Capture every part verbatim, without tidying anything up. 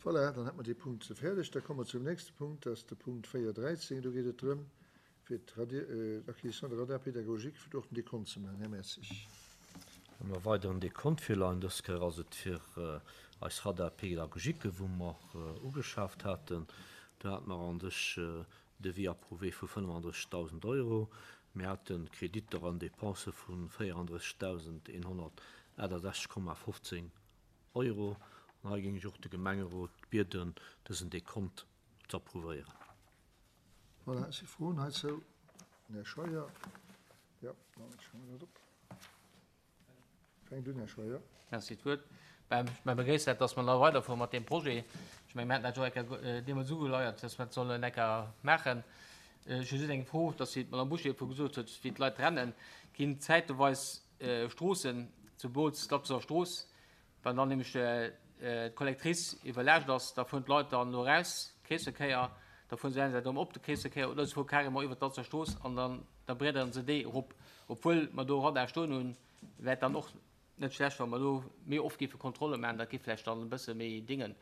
Voilà, dann hätte mer dee Punkt fäerdeg. Da komme mer zum nächste Punkt, dat ass de Punkt véier dräizéng. Do geet et drëm, fir d'Acquisition de radars pédagogiques, fir do och den Dekont ze maachen. Här Mertzig. Hu mer weider en Dekont virleien. Dës Kéier ass et fir eis Radars pédagogiques, wou mer ugeschaaft haten. Do hate mer an sech Devis approuvé vu fënnefandrëssigdausend Euro. Mir hate Kreditter an Dépense vu véierandrëssigdausendeenhonnertaachtasechzeg Komma fofzéng Euro. An hei géing ech och de Gemengerot bieden, dësen Dekont ze approuvéieren. Voilà, si Froen heizou? Den Här Scheuer. Jo, dann schreiwe mer dat op. Fänkt un, Här Scheuer. Merci fir d'Wuert. Mä begréisst dat, dass mer da weiderfuere mat deem Projet. Ech menge mir haten dat jo eng Kéier deemools ugeleiert, dass mer dat sollen eng Kéier maachen. Ech hu just eng Fro, dass wéi d'Madame Bouché viru gesot huet, wéi d'Leit rennen, ginn zäiteweis Stroossen, zemools d'Latzer Strooss, wann dann nämlech d'Collectrice iwwerlaascht ass, da fueren d'Leit dann do eraus, Kreesverkéier, da fueren se entweder op de Kreesverkéier oder se fuere carrément iwwert d'Latzer Strooss an dann da breederen se déi erop. Obwuel mer do Radar stoen hunn, wär et dann och net schlecht, wa mer do méi oft géife Kontrolle maachen, dat géif vläicht dann e bësse méi dingen.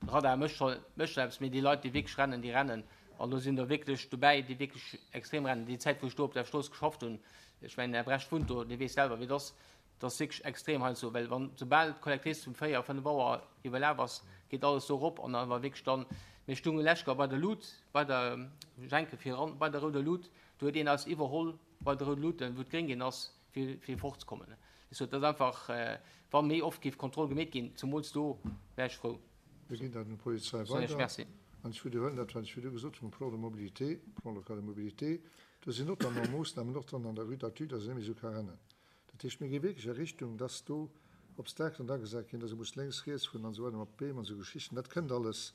Radar mécht scho mécht scho eppes, mee déi Leit, déi wierklech rennen, déi rennen. An do sinn der wierklech dobäi, déi wierklech extrem rennen. Déi Zäit, wou ech do op der Strooss geschafft hunn, ech mengen, den Här Brecht wunnt do, dee weess selwer, wéi et ass, dat ass wierklech extrem heiansdo, well wann soubal d'Collectrice um véier, fënnef Auer iwwerlaf ass, geet alles do erop an da war wierklech dann, mir stounge lech bei der Lut, bei der Jenke viran, bei der rouder Lut, do huet een eis iwwerholl bei der rouder Lut, wou et gréng ginn ass, fir fir fortzekommen. Ech sot, dat ass einfach, wa méi oft géif Kontroll gemeet ginn, zemools do, wär ech frou. Mir ginn dat un d'Polizei Soen ech weider. Merci. An ech widderhuelen dat, wat ech virdu gesot hunn um Plan de mobilité, Plan local de mobilité, do sinn notamment Moossnamen och dran an der Rue d'Athus, dass een net méi esou ka rennen. Dat heescht, mir gi wierklech a Richtung, dass do Obstakelen agesat ginn, dass ee muss lénks, riets fueren an esou weider mat Beem an esou Geschichten. Dat kënnt alles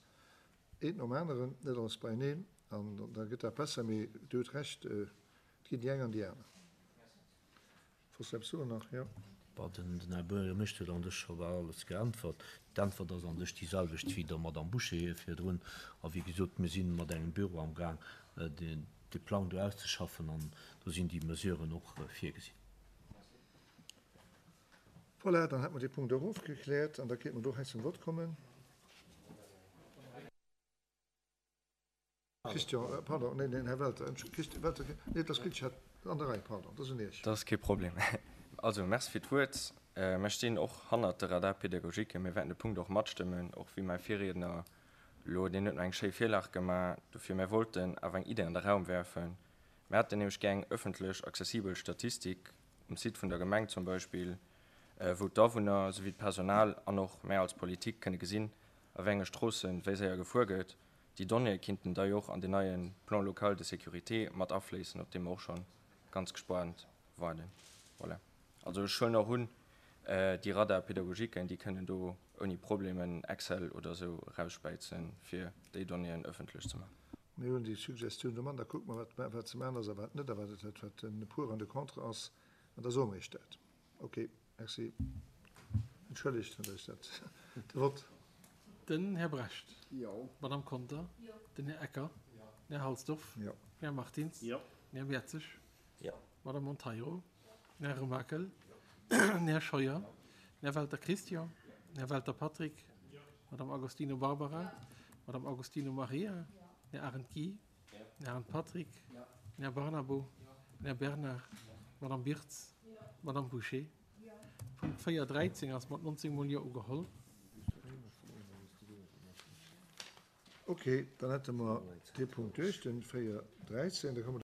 eent nom aneren, net alles beieneen, an da gëtt dat besser. Mee Dir hutt Recht, et ginn déi eng an déi aner. Wolls du eppes soen nach? Jo. Bon, den Här Buergermeeschter huet an sech scho bal alles geäntwert. D'Äntwert ass an sech déi selwecht wéi der Madame Bouché hir virdrun. A wéi gesot, mir si mat engem Büro amgaang, de Plang do auszeschaffen, an do sinn déi Mesuren och virgesinn. Voilà, dann hätte mer dee Punkt och ofgekläert an da kéinte mer do hei zum Vott kommen. Christian, pardon, neen, neen, Här Welter, Entschuldigung, Christian Welter, nee, et ass gutt, ech hat an der Rei, pardon, et ass un Iech. Dat ass kee Problem. Also, Merci fir d'Wuert. Mir stinn och hannert de Radar-pédagogique. Mir wäerten de Punkt och matstëmmen, och wéi mäi Virriedner elo, deen huet mer eng schéi Virlag gemaach dofir. Mir wollten awer eng Idee an de Raum werfen. Mir hätten nämlech gär eng ëffentlech accessibel Statistik um Site vun der Gemeng zum Beispill, wou d'Awunner souwéi d'Personal an och mär als Politik kënne gesinn, a wéi enge Stroosse wéi séier gefuer gëtt. Déi Donnéeë kinnten da jo och an den neie Plan local de sécurité mat afléissen, op dee mer och scho ganz gespaant waarden. Voilà. Also ech huelen och un, déi Radar-pédagogiquen, déi kënnen do ouni Problem en Excel oder esou erausspäizen, fir déi Donnéeën ëffentlech ze maachen. Mir hunn déi Suggestioun do man, da kucke mer, wat wat ze maachen ass a wat net a wat et wat den Pour an de Contre ass, an da soe mer Iech dat. Okay, merci. Entschëllegt, datt ech dat de Vott. Den Här Brecht. Jo. D'Madame Conter. Jo. Den Här Ecker. Jo. Den Här Halsdorf. Jo. Den Här Martins. Jo. Den Här Mertzig. Jo. D'Madame Monteiro. Den Här Remakel. Den Här Scheuer. Den Här Welter Christian. Den Här Welter Patrick. D'Madame Agostino Barbara. D'Madame Agostino Maria. Den Här Arendt Guy. Den Här Arendt Patrick. Den Här Barnabo. Den Här Bernard. D'Madame Birtz. D'Madame Bouché. Punkt véier dräizéng ass mat nonzéng mol Jo ugeholl. Okay, dann hätte mer dee Punkt duerch, den véier dräizéng. Da komme mer.